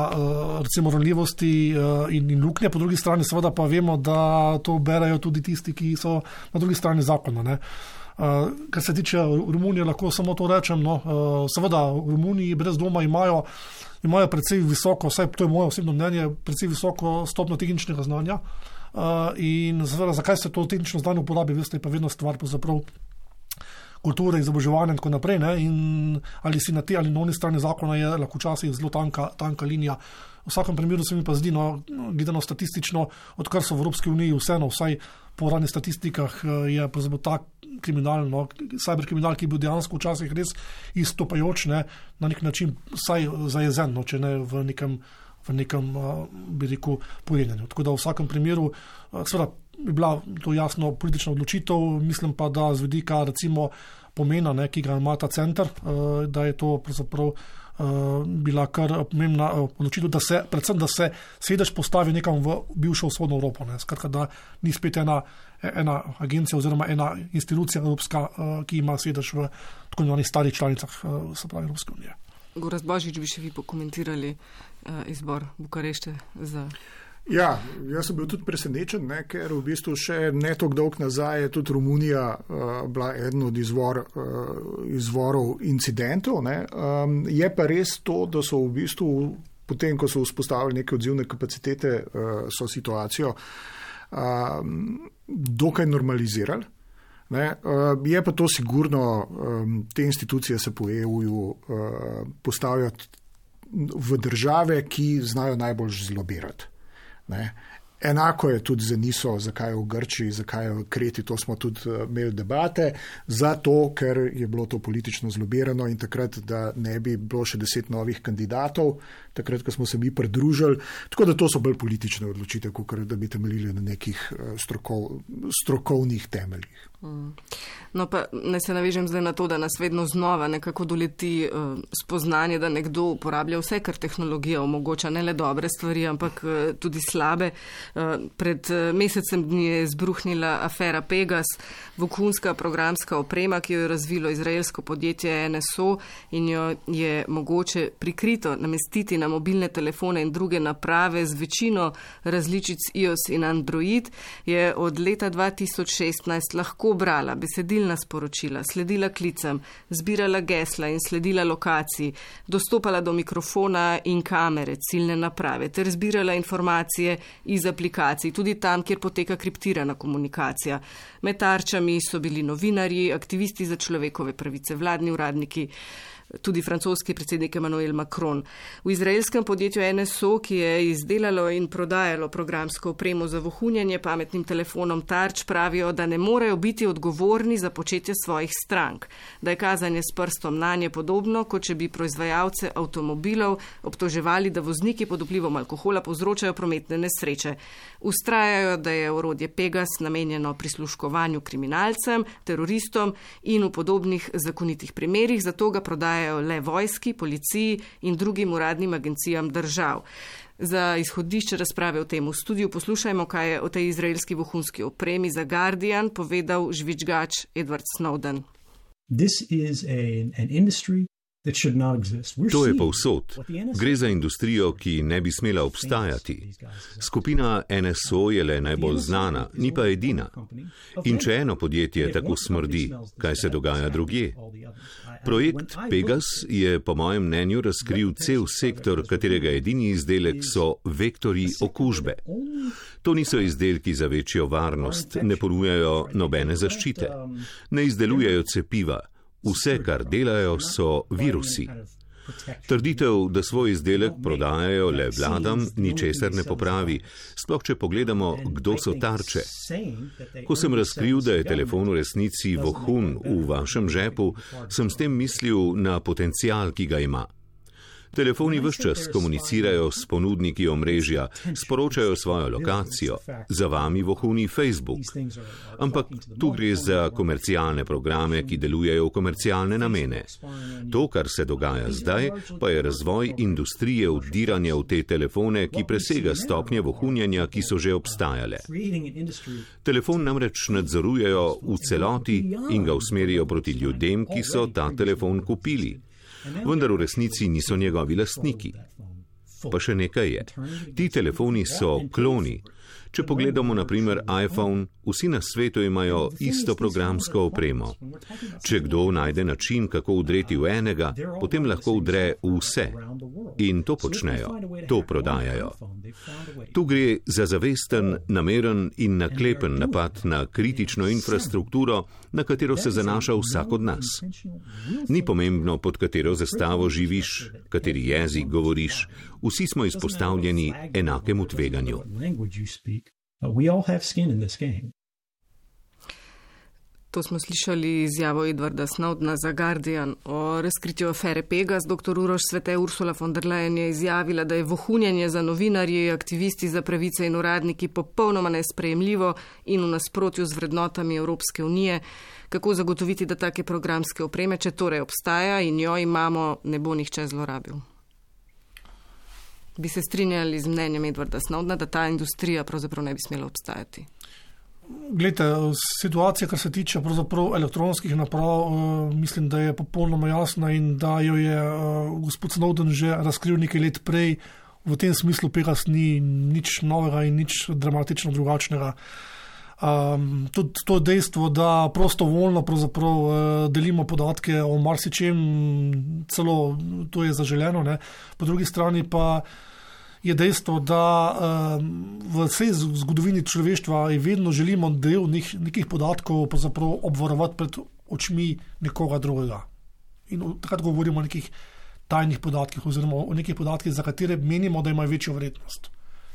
recimo ranljivosti in luknje, po drugi strani seveda pa vemo, da to berajo tudi tisti, ki so na drugi strani zakona. Kar se tiče Romunije, lahko samo to rečem. Seveda, v Romuniji brez dvoma imajo precej visoko, vsaj to je moje osebno mnenje, precej visoko stopnjo tehničnega znanja. In seveda, zakaj se to tehnično znanje uporabi, veste, je pa vedno stvar pravzaprav kulture, izobraževanja in tako naprej. Ne? In ali si na te ali na oni strani zakona je lahko včasih zelo tanka linija. V vsakem primeru se mi pa zdi, gledano statistično, odkar so v Evropski uniji vseeno, vsaj po uradnih statistikah, je pravzaprav ta kriminal, cyberkriminal, ki je bil dejansko včasih res izstopajoč, ne, na nek način vsaj zajezen, če ne v nekem bi rekel, pojenjanju. Tako da v vsakem primeru, seveda, bi bila to jasno politična odločitev, mislim pa, da z vidika recimo pomena, ne, ki ga ima ta center, da je to pravzaprav bila kar pomembna odločitev, predvsem, da se sedež postavi nekam v bivšo vzhodno Evropo. Ne. Skratka, da ni spet ena agencija oziroma ena institucija evropska, ki ima sedež v tako imenovanih starih članicah, se pravi Evropske unije. Gorazd Božič, bi še vi pokomentirali izbor Bukarešte za... Ja, jaz sem bil tudi presenečen, ker v bistvu še ne toliko dolg nazaj je tudi Romunija bila eden od izvorov incidentov. Je pa res to, da so v bistvu, potem ko so vzpostavili neke odzivne kapacitete, so situacijo dokaj normalizirali. Je pa to sigurno, te institucije se po EU-ju postavijo v države, ki znajo najbolj zlobirati. Enako je tudi za NISO, zakaj je v Grčiji, zakaj je v Kreti, to smo tudi imeli debate, zato, ker je bilo to politično zlobirano in takrat, da ne bi bilo še 10 novih kandidatov, takrat, ko smo se mi pridružili, tako da to so bolj politične odločitve, kot da bi temeljili na nekih strokovnih temeljih. No pa ne se navežem zdaj na to, da nas vedno znova nekako doleti spoznanje, da nekdo uporablja vse, kar tehnologija omogoča, ne le dobre stvari, ampak tudi slabe. Pred mesecem dni je izbruhnila afera Pegas, vohunska programska oprema, ki jo je razvilo izraelsko podjetje NSO in jo je mogoče prikrito namestiti na mobilne telefone in druge naprave z večino različic iOS in Android, je od leta 2016 lahko brala besedilna sporočila, sledila klicem, zbirala gesla in sledila lokaciji, dostopala do mikrofona in kamere, ciljne naprave, ter zbirala informacije iz aplikacij, tudi tam, kjer poteka kriptirana komunikacija. Med tarčami so bili novinarji, aktivisti za človekove pravice, vladni uradniki, tudi francoski predsednik Emmanuel Macron. V izraelskem podjetju NSO, ki je izdelalo in prodajalo programsko opremo za vohunjenje pametnim telefonom tarč, pravijo, da ne morejo biti odgovorni za početje svojih strank, da je kazanje s prstom nanje podobno, kot če bi proizvajalce avtomobilov obtoževali, da vozniki pod vplivom alkohola povzročajo prometne nesreče. Ustrajajo, da je orodje Pegas namenjeno prisluškovanju kriminalcem, teroristom in v podobnih zakonitih primerih, zato ga prodajajo le vojski, policiji in drugim uradnim agencijam držav. Za izhodišče razprave o tem v studiu poslušajmo, kaj je o tej izraelski vohunski opremi za Guardian povedal žvižgač Edward Snowden. To je povsod. Gre za industrijo, ki ne bi smela obstajati. Skupina NSO je le najbolj znana, ni pa edina. In če eno podjetje tako smrdi, kaj se dogaja drugje? Projekt Pegas je po mojem mnenju razkril cel sektor, katerega edini izdelek so vektorji okužbe. To niso izdelki za večjo varnost, ne ponujajo nobene zaščite, ne izdelujejo cepiva. Vse, kar delajo, so virusi. Trditev, da svoj izdelek prodajajo le vladam, ničesar ne popravi, sploh če pogledamo, kdo so tarče. Ko sem razkril, da je telefon v resnici vohun v vašem žepu, sem s tem mislil na potencial, ki ga ima. Telefoni ves čas komunicirajo s ponudniki omrežja, sporočajo svojo lokacijo, za vami vohuni Facebook. Ampak tu gre za komercialne programe, ki delujejo v komercialne namene. To, kar se dogaja zdaj, pa je razvoj industrije vdiranja v te telefone, ki presega stopnje vohunjenja, ki so že obstajale. Telefon namreč nadzorujejo v celoti in ga usmerijo proti ljudem, ki so ta telefon kupili. Vendar v resnici niso njegovi lastniki. Pa še nekaj je. Ti telefoni so kloni. Če pogledamo na primer iPhone, vsi na svetu imajo isto programsko opremo. Če kdo najde način, kako vdreti v enega, potem lahko vdre v vse. In to počnejo, to prodajajo. Tu gre za zavesten, nameren in naklepen napad na kritično infrastrukturo, na katero se zanaša vsak od nas. Ni pomembno, pod katero zastavo živiš, kateri jezik govoriš, vsi smo izpostavljeni enakemu tveganju. To smo slišali izjavo Edwarda Snowdena za Guardian o razkritju afere Pegas. Dr. Uroš Svete Ursula von der Leyen je izjavila, da je vohunjenje za novinarji, aktivisti za pravice in uradniki popolnoma nesprejemljivo in v nasprotju z vrednotami Evropske unije. Kako zagotoviti, da take programske opreme, če torej obstaja in jo imamo, ne bo nihče zlorabil? Bi se strinjali z mnenjem Edwarda Snowdena, da ta industrija pravzaprav ne bi smela obstajati? Glejte, situacija, kar se tiče pravzaprav elektronskih naprav, mislim, da je popolnoma jasna in da jo je gospod Snowden že razkril nekaj let prej. V tem smislu Pegas ni nič novega in nič dramatično drugačnega. Tudi to dejstvo, da prostovoljno pravzaprav delimo podatke o marsičem, celo to je zaželeno, ne? Po drugi strani pa je dejstvo, da v vsej zgodovini človeštva vedno želimo del nekih podatkov pravzaprav obvarovati pred očmi nekoga drugega. In takrat govorimo o nekih tajnih podatkih oziroma o nekih podatkih, za katere menimo, da imajo večjo vrednost.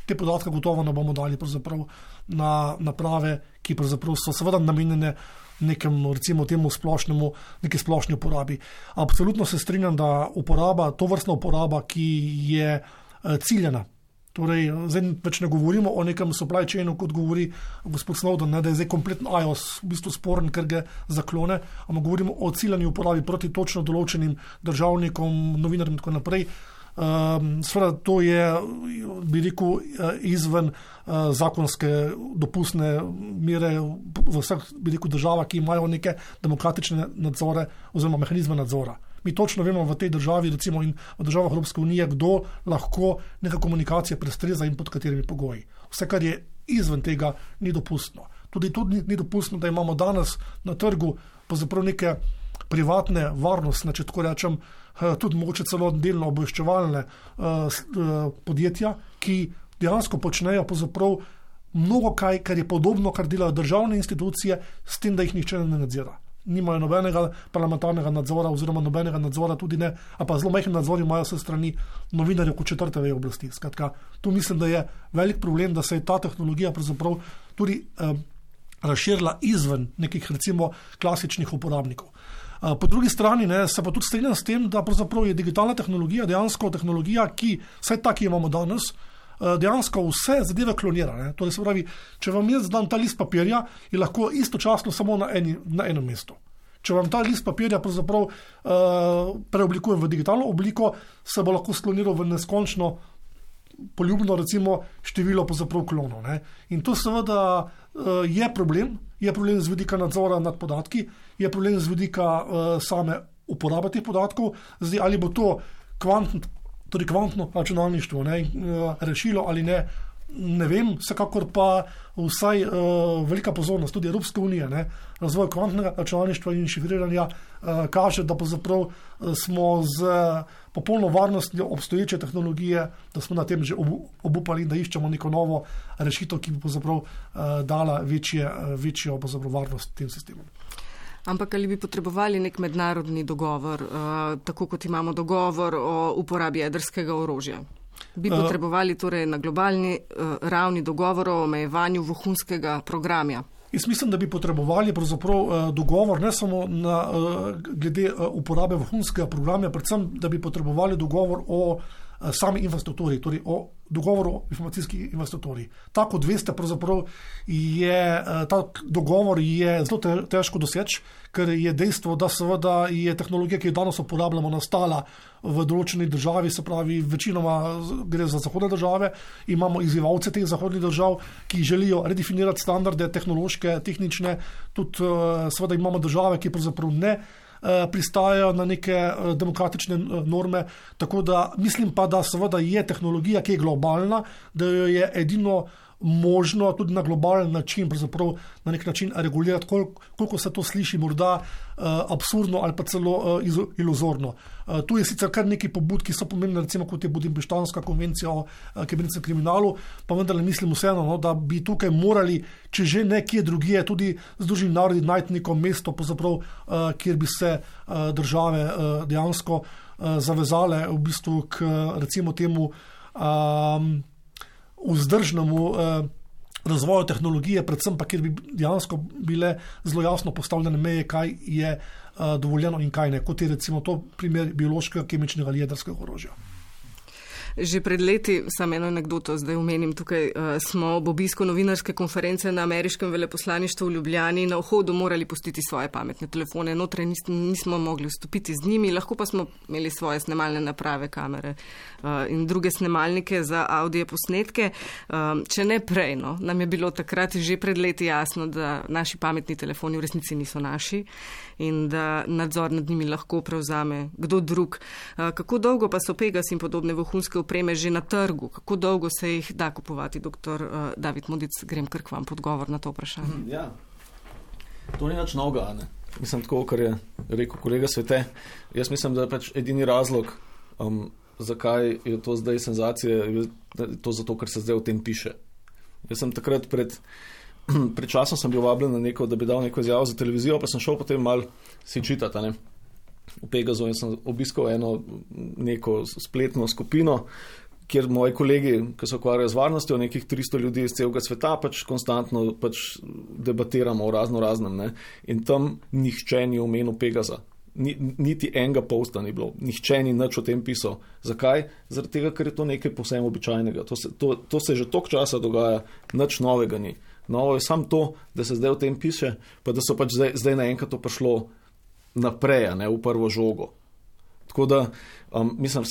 Te podatke gotovo ne bomo dali pravzaprav na naprave, ki pravzaprav so seveda namenjene nekemu, recimo temu splošnemu, neki splošni uporabi. Absolutno se strinjam, da tovrstna uporaba, ki je ciljena. Torej, zdaj več ne govorimo o nekem supply chainu, kot govori gospod Snowden, ne, da je zdaj kompletno iOS v bistvu sporen, ker ga zaklone, ampak govorimo o ciljani uporabi proti točno določenim državnikom, novinarjem in tako naprej. Seveda to je, bi rekel, izven zakonske dopustne mere v vseh, bi rekel, državah, ki imajo neke demokratične nadzore oziroma mehanizme nadzora. Mi točno vemo v tej državi, recimo in v državah Evropske unije, kdo lahko neka komunikacija prestreza in pod katerimi pogoji. Vse, kar je izven tega, ni dopustno. Tudi ni dopustno, da imamo danes na trgu pravzaprav neke privatne varnostne, če tako rečem, tudi mogoče celo delno obveščevalne podjetja, ki dejansko počnejo pravzaprav mnogo kaj, kar je podobno, kar delajo državne institucije, s tem, da jih nihče ne nadzira. Nimajo nobenega parlamentarnega nadzora oziroma nobenega nadzora tudi ne, a pa zelo majhen nadzor imajo se strani novinarjev kot četrte veje oblasti. Skratka, tu mislim, da je velik problem, da se je ta tehnologija pravzaprav tudi razširila izven nekih recimo klasičnih uporabnikov. Po drugi strani se pa tudi strinjam s tem, da pravzaprav je digitalna tehnologija dejansko tehnologija, ki vsaj tak imamo danes, dejansko vse zadeve klonira. Ne? Torej se pravi, če vam jaz dam ta list papirja, je lahko istočasno samo na enem mestu. Če vam ta list papirja pravzaprav preoblikujem v digitalno obliko, se bo lahko skloniral v neskončno poljubno recimo število pravzaprav klonov. Ne? In to seveda je problem z vidika nadzora nad podatki, je problem z vidika same uporabe teh podatkov. Zdaj, ali bo to kvantno računalništvo rešilo ali ne, ne vem, vsekakor pa vsaj velika pozornost tudi Evropske unije, razvoj kvantnega računalništva in šifriranja kaže, da pravzaprav smo z popolno varnostjo obstoječe tehnologije, da smo na tem že obupali in da iščemo neko novo rešitev, ki bi pravzaprav dala večjo pravzaprav varnost tem sistemom. Ampak ali bi potrebovali nek mednarodni dogovor, tako kot imamo dogovor o uporabi jedrskega orožja? Bi potrebovali torej na globalni ravni dogovor o omejevanju vohunskega programa? Jaz mislim, da bi potrebovali pravzaprav dogovor ne samo glede uporabe vohunskega programa, predvsem, da bi potrebovali dogovor o sami infrastrukturi, torej o dogovoru o informacijski infrastrukturi. Tako kot veste, pravzaprav ta dogovor je zelo težko doseči, ker je dejstvo, da seveda je tehnologija, ki jo danes uporabljamo, nastala v določeni državi, se pravi, večinoma gre za zahodne države, imamo izzivalce teh zahodnih držav, ki želijo redefinirati standarde tehnološke, tehnične, tudi seveda imamo države, ki pravzaprav ne pristajajo na neke demokratične norme, tako da mislim pa, da seveda je tehnologija, ki je globalna, da jo je edino možno tudi na globalen način, pravzaprav na nek način regulirati, koliko se to sliši morda absurdno ali pa celo iluzorno. Tu je sicer kar nekaj pobud, ki so pomembne, recimo kot je Budimpeštanska konvencija o kibernetskem kriminalu, pa vendarle mislim vseeno, no, da bi tukaj morali, če že nekje drugje, tudi Združeni narodi najti neko mesto, kjer bi se države dejansko zavezale v bistvu k recimo temu vzdržnemu razvoju tehnologije, predvsem pa, kjer bi dejansko bile zelo jasno postavljene meje, kaj je dovoljeno in kaj ne, kot je recimo to primer biološkega, kemičnega ali jedrskega orožja. Že pred leti, samo eno anekdoto zdaj omenim, tukaj smo ob obisku novinarske konference na ameriškem veleposlaništvu v Ljubljani na vhodu morali pustiti svoje pametne telefone. Notraj nismo mogli vstopiti z njimi, lahko pa smo imeli svoje snemalne naprave, kamere in druge snemalnike za audio posnetke. Če ne prej, no, nam je bilo takrat že pred leti jasno, da naši pametni telefoni v resnici niso naši in da nadzor nad njimi lahko prevzame kdo drug. Kako dolgo pa so Pegas in podobne vohunske opreme že na trgu? Kako dolgo se jih da kupovati, dr. David Modic? Grem kar k vam pod odgovor na to vprašanje. Ja, to ni nič novega, ne? Mislim, tako, kar je rekel kolega Svete. Jaz mislim, da je pač edini razlog, zakaj je to zdaj senzacija, to zato, ker se zdaj o tem piše. Jaz sem takrat pred časom sem bil vabljen na neko, da bi dal neko izjavo za televizijo, pa sem šel potem malo si čitati, ne? V Pegazu in sem obiskal neko spletno skupino, kjer moji kolegi, ki se ukvarjajo z varnostjo, nekih 300 ljudi iz celega sveta, pač konstantno debatiramo o raznem, ne. In tam nihče ni omenil Pegaza. Niti enega posta ni bilo. Nihče ni nič o tem pisal. Zakaj? Zaradi tega, ker je to nekaj povsem običajnega. To se že toliko časa dogaja, nič novega ni. Novo je samo to, da se zdaj o tem piše, pa da so pač zdaj naenkrat to prišlo naprej, ne, v prvo žogo. Tako da, mislim,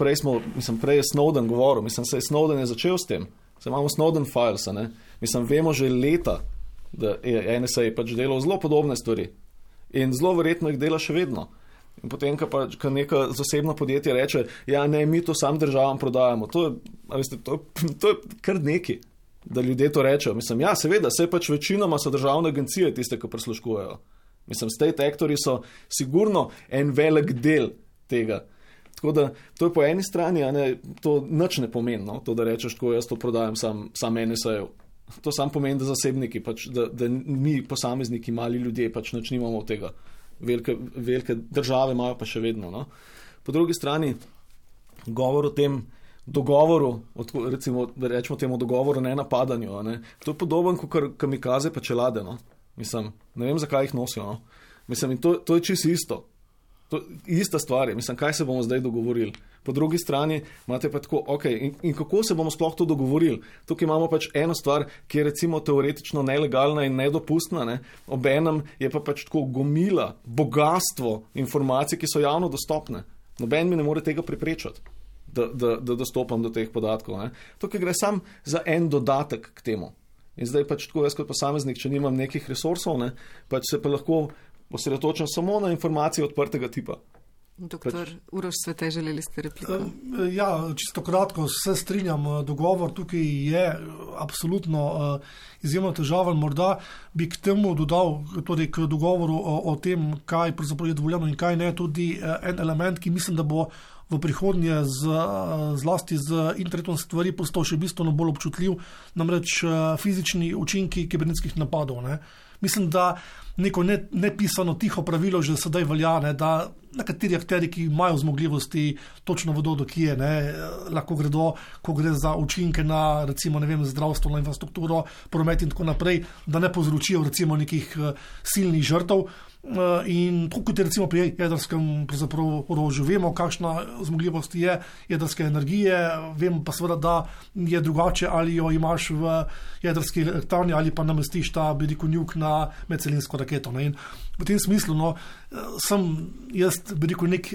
prej je Snowden govoril, saj Snowden je začel s tem, saj imamo Snowden files, ne, vemo že leta, da je NSA pač delal zelo podobne stvari in zelo verjetno jih dela še vedno. In potem, ko neka zasebno podjetje reče, ja, ne, mi to sam državam prodajamo, to je kar neki, da ljudje to rečejo. Ja, seveda, saj pač večinoma so državne agencije tiste, ki prisluškujejo. State actori so sigurno en velik del tega. Tako da, to je po eni strani, a ne, to nič ne pomeni, no, to, da rečeš, tako jaz to prodajam sam NSA-jev. To sam pomeni, da zasebniki, pač, da mi posamezniki, mali ljudje, pač nič nimamo od tega. Velike države imajo pa še vedno, no. Po drugi strani, govor o tem dogovoru, recimo, da rečemo temu dogovoru ne napadanju, a ne, to je podoben kot kamikaze pa čelade, no. Ne vem, zakaj jih nosijo, no. In to je čisto isto. To je ista stvar. Kaj se bomo zdaj dogovorili? Po drugi strani imate pa tako, in kako se bomo sploh to dogovorili? Tukaj imamo pač eno stvar, ki je recimo teoretično nelegalna in nedopustna, ne? Obenem je pa pač tako gomila, bogatstvo informacij, ki so javno dostopne. Noben mi ne more tega preprečati, da dostopam do teh podatkov, ne? Tukaj gre sam za en dodatek k temu. In zdaj pač tako jaz kot posameznik, če nimam nekih resursov, ne, pač se pa lahko osredotočam samo na informacije odprtega tipa. Doktor Uroš Svete, želeli ste repliko? Ja, čisto kratko, se strinjam, dogovor tukaj je absolutno izjemno težaven. Morda bi k temu dodal, torej k dogovoru o tem, kaj pravzaprav je dovoljeno in kaj ne, tudi en element, ki mislim, da bo v prihodnje zlasti z internetom stvari postal še bistveno bolj občutljiv, namreč fizični učinki kibernetskih napadov, ne. Mislim, da neko nepisano tiho pravilo že sedaj velja, ne, da nekateri akteri, ki imajo zmogljivosti, točno vedo, do kje, ne, lahko gredo, ko gre za učinke na, recimo, ne vem, zdravstveno infrastrukturo, promet in tako naprej, da ne povzročijo recimo nekih silnih žrtev. In tako kot je recimo pri jedrskem orožju, vemo, kakšna zmogljivost je jedrske energije, vemo pa seveda, da je drugače, ali jo imaš v jedrski elektrarni ali pa namestiš ta njuk na medcelinsko raketo. Ne? In v tem smislu sem jaz nek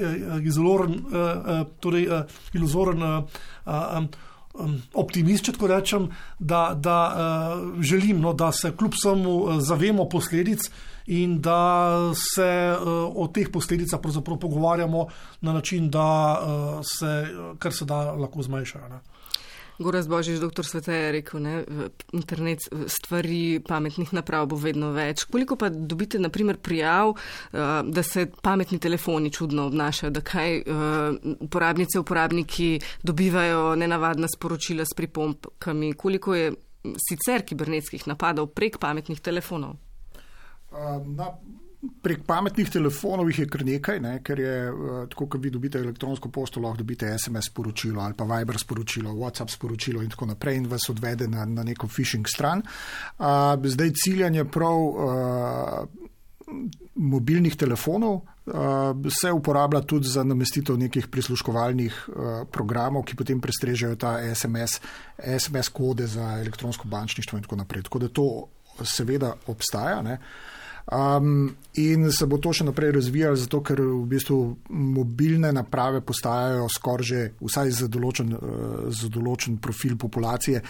iluzoren optimist, če tako rečem, da želim, da se kljub vsemu zavemo posledic in da se o teh posledicah pravzaprav pogovarjamo na način, da se kar se da lahko zmanjšajo. Gorazd Božič, doktor Svete je rekel, ne, internet stvari pametnih naprav bo vedno več. Koliko pa dobite, na primer, prijav, da se pametni telefoni čudno obnašajo, da kaj uporabniki dobivajo nenavadna sporočila s pripombkami? Koliko je sicer kibernetskih napadov prek pametnih telefonov? Prek pametnih telefonov jih je kar nekaj, ne, ker je, tako kot vi dobite elektronsko pošto, lahko dobite SMS sporočilo ali pa Viber sporočilo, WhatsApp sporočilo in tako naprej in vas odvede na neko phishing stran. Zdaj ciljanje prav mobilnih telefonov se uporablja tudi za namestitev nekih prisluškovalnih programov, ki potem prestrežejo ta SMS kode za elektronsko bančništvo in tako naprej. Tako da to seveda obstaja, ne. In se bo to še naprej razvijalo, zato ker v bistvu mobilne naprave postajajo skoraj že vsaj za določen profil populacije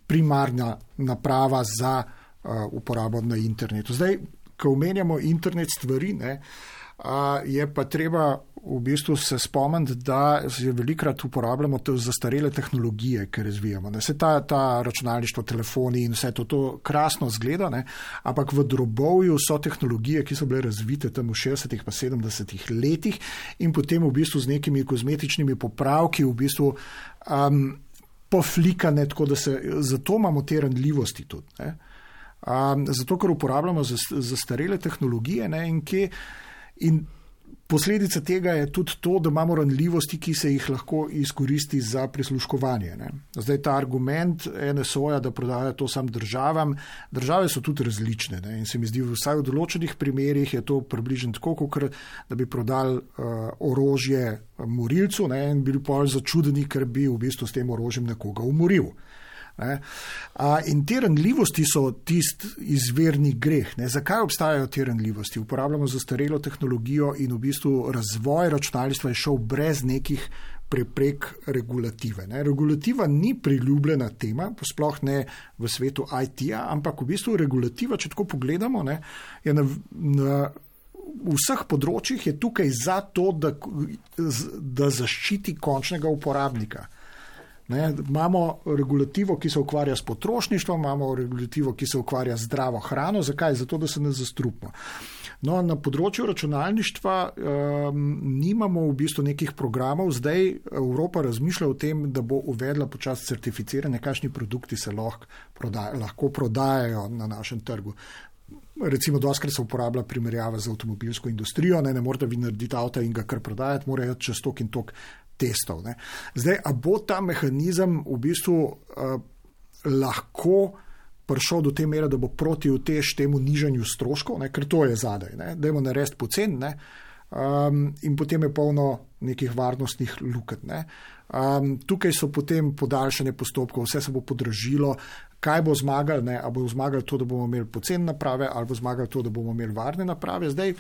primarna naprava za uporabo na internetu. Zdaj, ko omenjamo internet stvari, ne, je pa treba v bistvu se spomniti, da se velikrat uporabljamo zastarele tehnologije, ki razvijamo. Se ta računalništvo, telefoni in vse to krasno zgleda, ne? Ampak v drobovju so tehnologije, ki so bile razvite tam v 60. pa 70. letih in potem v bistvu z nekimi kozmetičnimi popravki v bistvu poflikane, tako da zato imamo te ranljivosti tudi, ne? Zato, ker uporabljamo zastarele tehnologije, ne? In posledica tega je tudi to, da imamo ranljivosti, ki se jih lahko izkoristi za prisluškovanje, ne. Zdaj ta argument NSO-ja, da prodaja to sam državam, države so tudi različne, ne. In se mi zdi, vsaj v določenih primerih je to približno tako, kot da bi prodali orožje morilcu, ne, in bili pol začudeni, ker bi v bistvu s tem orožjem nekoga umoril. In te ranljivosti so tisti izvirni greh. Ne? Zakaj obstajajo te ranljivosti? Uporabljamo zastarelo tehnologijo in v bistvu razvoj računalništva je šel brez nekih preprek regulative. Ne? Regulativa ni priljubljena tema, sploh ne v svetu IT-ja, ampak v bistvu regulativa, če tako pogledamo, ne, je na vseh področjih je tukaj zato, da zaščiti končnega uporabnika. Ne, imamo regulativo, ki se ukvarja s potrošništvom, imamo regulativo, ki se ukvarja z zdravo hrano. Zakaj? Zato, da se ne zastrupimo. No, na področju računalništva nimamo v bistvu nekih programov. Zdaj Evropa razmišlja o tem, da bo uvedla počasi certificiranje, kakšni produkti se lahko prodajajo na našem trgu. Recimo, doskrat se uporablja primerjava z avtomobilsko industrijo, ne morete vi narediti avta in ga kar prodajati, morajo čez tok in tok testov. Ne. Zdaj, a bo ta mehanizem v bistvu lahko prišel do te mere, da bo proti utež temu nižanju stroškov, ne, ker to je zadaj, ne, dajmo narediti pocen, ne, in potem je polno nekih varnostnih lukenj, ne. Tukaj so potem podaljšanje postopkov, vse se bo podražilo, kaj bo zmagal, ne, a bo zmagal to, da bomo imeli pocen naprave, ali bo zmagal to, da bomo imeli varne naprave. Zdaj,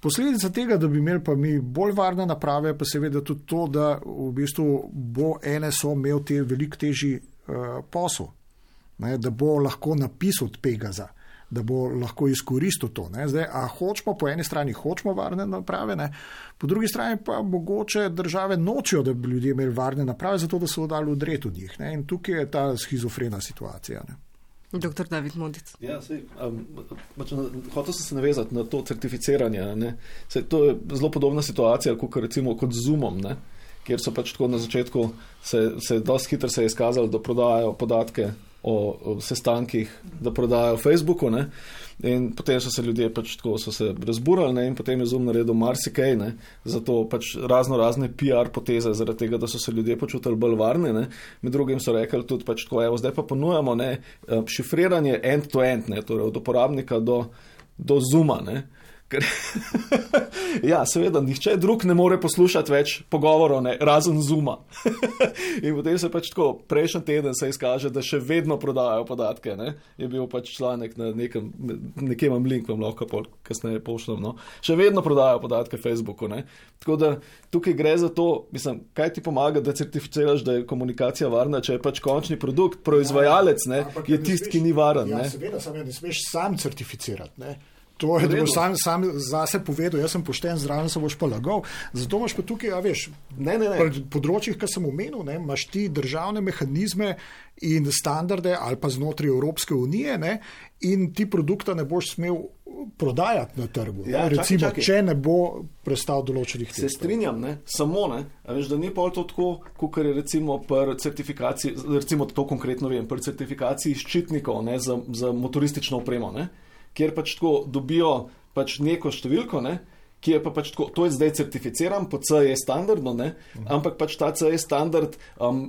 posledica tega, da bi imeli pa mi bolj varne naprave, pa seveda tudi to, da v bistvu bo NSO imel veliko težji posel, ne, da bo lahko napisal od Pegaza, da bo lahko izkoristil to. Ne. Zdaj, a hočemo, po eni strani hočemo varne naprave, ne, po drugi strani pa mogoče države nočijo, da bi ljudje imeli varne naprave, zato da so dali udret od njih. Ne. In tukaj je ta schizofrena situacija. Ne. Dr. David Modic. Ja, hotel sem se navezati na to certificiranje. Ne. To je zelo podobna situacija, kot z Zoomom, ne, kjer so pač tako na začetku se dosti hitro se je izkazalo, da prodajajo podatke o sestankih, da prodajajo Facebooku, ne, in potem so se ljudje pač tako so se razburali, ne, in potem je Zoom naredil marsikaj, ne, zato pač razne PR poteze, zaradi tega, da so se ljudje počutili bolj varne, ne, med drugim so rekli tudi pač tako, evo, zdaj pa ponujamo, ne, šifriranje end-to-end, ne, torej od uporabnika do Zooma, ne. Ja, seveda, nihče drug ne more poslušati več pogovorov, ne, razen Zooma. In potem se pač tako, prejšnji teden se izkaže, da še vedno prodajajo podatke, ne. Je bil pač članek na nekje imam link, vam lahko kasneje pošljem, no. Še vedno prodajajo podatke Facebooku, ne. Tako da tukaj gre za to, mislim, kaj ti pomaga, da certificiraš, da je komunikacija varna, če je pač končni produkt, proizvajalec, ne, je tisti, ki ni varen, ne. Ja, seveda, samo ne smeš sam certificirati, ne. To je, da boš sam zase povedal, jaz sem pošten, zraven se boš pa lagal. Zato imaš pa tukaj, pri področjih, ki sem omenil, imaš ti državne mehanizme in standarde ali pa znotraj Evropske unije, in ti produkta ne boš smel prodajati na trgu. Recimo, če ne bo prestal določenih testov. Se strinjam, samo, da ni pa to tako, kot je recimo pri certifikaciji, recimo to konkretno vem, pri certifikaciji ščitnikov za motoristično opremo, kjer pač tako dobijo pač neko številko, ki je pa pač tako, to je zdaj certificiran po CE standardu, ampak pač ta CE standard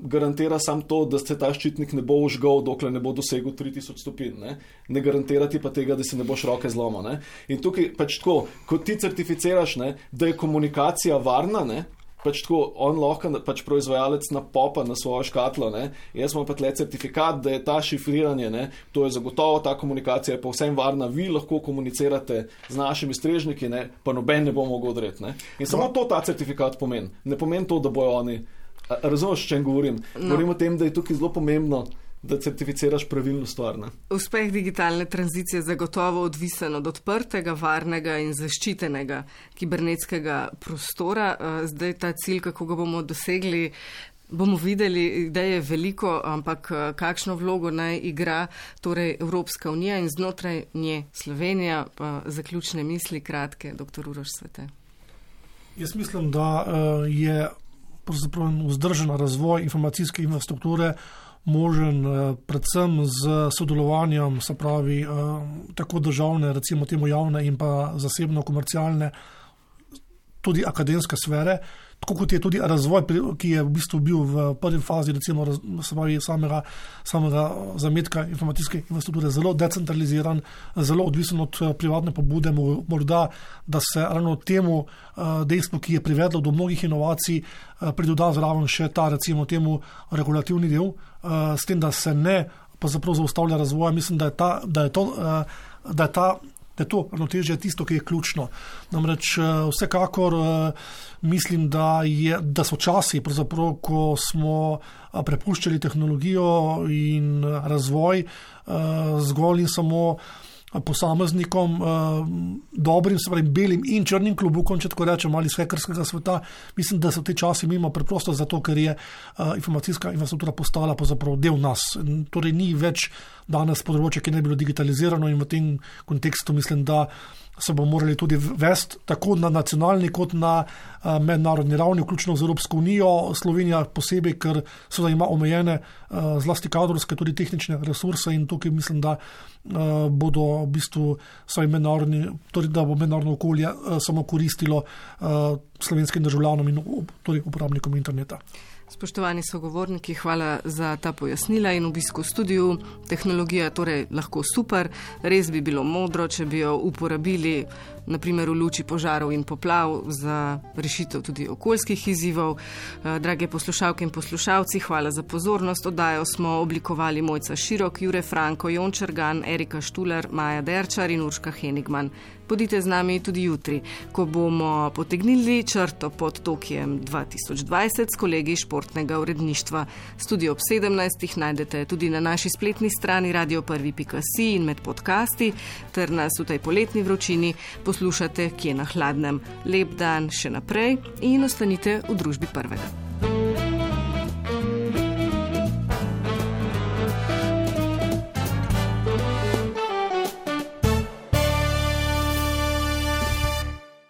garantira samo to, da se ta ščitnik ne bo užgal, dokler ne bo dosegel 3000 stopinj, ne garantira ti pa tega, da si ne boš roke zlomil, In tukaj pač tako, ko ti certificiraš, da je komunikacija varna, pač tako, on lahko pač proizvajalec napopa na svojo škatlo, jaz imam pa tle certifikat, da je ta šifriranje, to je zagotovo, ta komunikacija je povsem varna, vi lahko komunicirate z našimi strežniki, pa noben ne bo mogel odreti. In samo to ta certifikat pomeni. Ne pomeni to, da bojo oni, razumeš, o čem govorim? Govorim o tem, da je tukaj zelo pomembno, da certificiraš pravilno stvar. Uspeh digitalne tranzicije je zagotovo odvisen od odprtega, varnega in zaščitenega kibernetskega prostora. Zdaj ta cilj, kako ga bomo dosegli, bomo videli, da je veliko, ampak kakšno vlogo naj igra torej Evropska unija in znotraj nje Slovenija. Zaključne misli, kratke, dr. Uroš Svete. Jaz mislim, da je vzdržen razvoj informacijske infrastrukture možen predvsem z sodelovanjem, se pravi, tako državne, recimo temu javne in pa zasebno komercialne, tudi akademske sfere, tako kot je tudi razvoj, ki je v bistvu bil v prvi fazi, recimo, se pravi, samega zametka informacijske infrastrukture zelo decentraliziran, zelo odvisen od privatne pobude, morda, da se ravno temu dejstvu, ki je privedlo do mnogih inovacij, pridoda zraven še ta, recimo temu, regulativni del, s tem, da se ne pa zapravo zaustavlja razvoja. Mislim, da je to ravnotežje tisto, ki je ključno. Namreč vsekakor mislim, da so časi, pravzaprav, ko smo prepuščali tehnologijo in razvoj zgolj in samo posameznikom, dobrim, se pravi, belim in črnim klobukom, če tako rečem, ali iz hekerskega sveta. Mislim, da so te časi mimo preprosto zato, ker je informacijska infrastruktura postala pravzaprav del nas. Torej ni več danes področje, ki ne bi bilo digitalizirano, in v tem kontekstu mislim, da se bomo morali tudi vesti tako na nacionalni kot na mednarodni ravni, vključno z Evropsko unijo, Slovenija posebej, ker seveda ima omejene zlasti kadrovske, tudi tehnične resurse, in tukaj mislim, da bodo v bistvu torej da bo mednarodno okolje samo koristilo slovenskim državljanom in torej uporabnikom interneta. Spoštovani sogovorniki, hvala za ta pojasnila in obisk v studiu. Tehnologija torej lahko super, res bi bilo modro, če bi jo uporabili naprimer v luči požarov in poplav za rešitev tudi okoljskih izzivov. Drage poslušalke in poslušalci, hvala za pozornost. Oddajo smo oblikovali Mojca Širok, Jure Franko, Jon Čergan, Erika Štuler, Maja Derčar in Urška Henigman. Bodite z nami tudi jutri, ko bomo potegnili črto pod Tokijem 2020 s kolegi športnega uredništva. Studio ob 17. najdete tudi na naši spletni strani radio1.si in med podcasti, ter nas v tej poletni vročini poslušate kje na hladnem. Lep dan še naprej in ostanite v družbi Prvega.